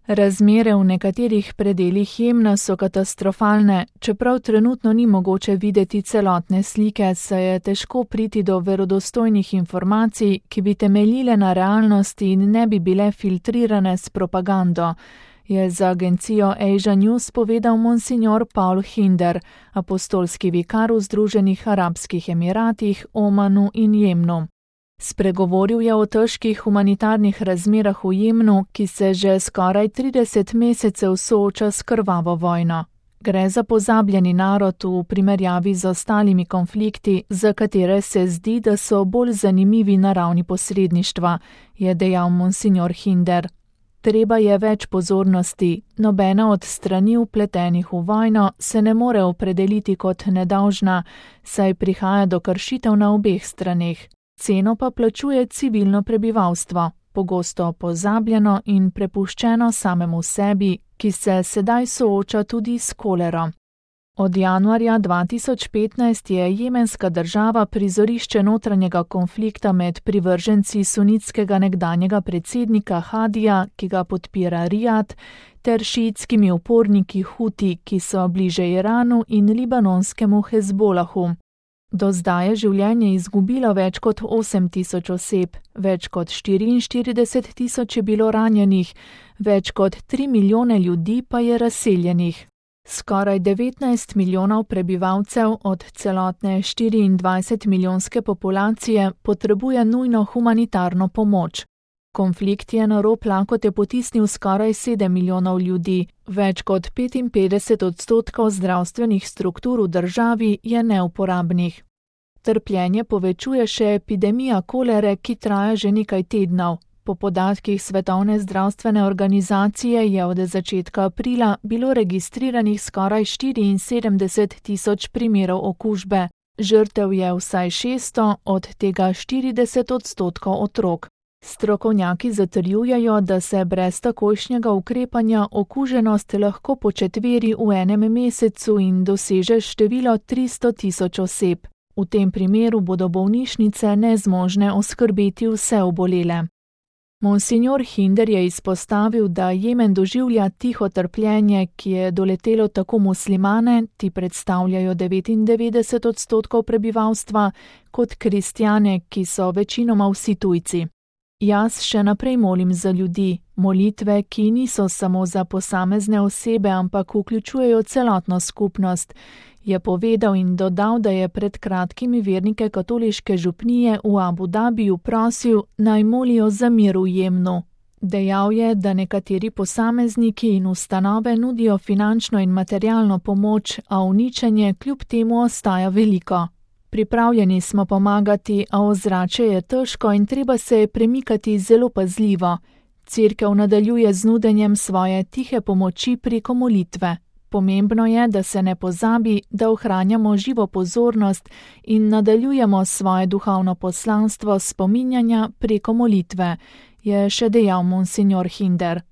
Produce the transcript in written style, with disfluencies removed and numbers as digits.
Razmere v nekaterih predelih Jemna so katastrofalne, čeprav trenutno ni mogoče videti celotne slike, saj je težko priti do verodostojnih informacij, ki bi temeljile na realnosti in ne bi bile filtrirane s propagando, je za agencijo Asia News povedal monsignor Paul Hinder, apostolski vikar v Združenih arabskih emiratih, Omanu in Jemnu. Spregovoril je o težkih humanitarnih razmerah v Jemnu, ki se že skoraj 30 mesecev sooča s krvavo vojno. Gre za pozabljeni narod v primerjavi z ostalimi konflikti, za katere se zdi, da so bolj zanimivi na ravni posredništva, je dejal monsignor Hinder. Treba je več pozornosti, nobena od strani vpletenih v vojno se ne more opredeliti kot nedolžna, saj prihaja do kršitev na obeh straneh. Ceno pa plačuje civilno prebivalstvo, pogosto pozabljeno in prepuščeno samemu sebi, ki se sedaj sooča tudi s kolero. Od januarja 2015 je jemenska država prizorišče notranjega konflikta med privrženci sunitskega nekdanjega predsednika Hadija, ki ga podpira Rijad, ter šiitskimi uporniki Huti, ki so bliže Iranu in libanonskemu Hezbolahu. Do zdaj je življenje izgubilo več kot 8.000 oseb, več kot 44.000 je bilo ranjenih, več kot 3 milijone ljudi pa je razseljenih. Skoraj 19 milijonov prebivalcev od celotne 24 milijonske populacije potrebuje nujno humanitarno pomoč. Konflikt je na rob lakote potisnil skoraj 7 milijonov ljudi, več kot 55% zdravstvenih struktur v državi je neuporabnih. Trpljenje povečuje še epidemija kolere, ki traja že nekaj tednov. Po podatkih Svetovne zdravstvene organizacije je od začetka aprila bilo registriranih skoraj 74.000 primerov okužbe. Žrtev je vsaj 600, od tega 40% otrok. Strokovnjaki zatrjujejo, da se brez takojšnjega ukrepanja okuženost lahko početveri v enem mesecu in doseže število 300.000 oseb. V tem primeru bodo bolnišnice nezmožne oskrbeti vse obolele. Monsignor Hinder je izpostavil, da Jemen doživlja tiho trpljenje, ki je doletelo tako muslimane, ti predstavljajo 99% prebivalstva, kot kristjane, ki so večinoma vsi tujci. Jaz še naprej molim za ljudi, molitve, ki niso samo za posamezne osebe, ampak vključujejo celotno skupnost, je povedal in dodal, da je pred kratkim vernike katoliške župnije v Abu Dabiju prosil, naj molijo za mir v Jemnu. Dejal je, da nekateri posamezniki in ustanove nudijo finančno in materialno pomoč, a uničenje kljub temu ostaja veliko. Pripravljeni smo pomagati, a ozračje je težko in treba se je premikati zelo pazljivo. Cerkev nadaljuje z nudenjem svoje tihe pomoči preko molitve. Pomembno je, da se ne pozabi, da ohranjamo živo pozornost in nadaljujemo svoje duhovno poslanstvo spominjanja preko molitve, je še dejal monsignor Hinder.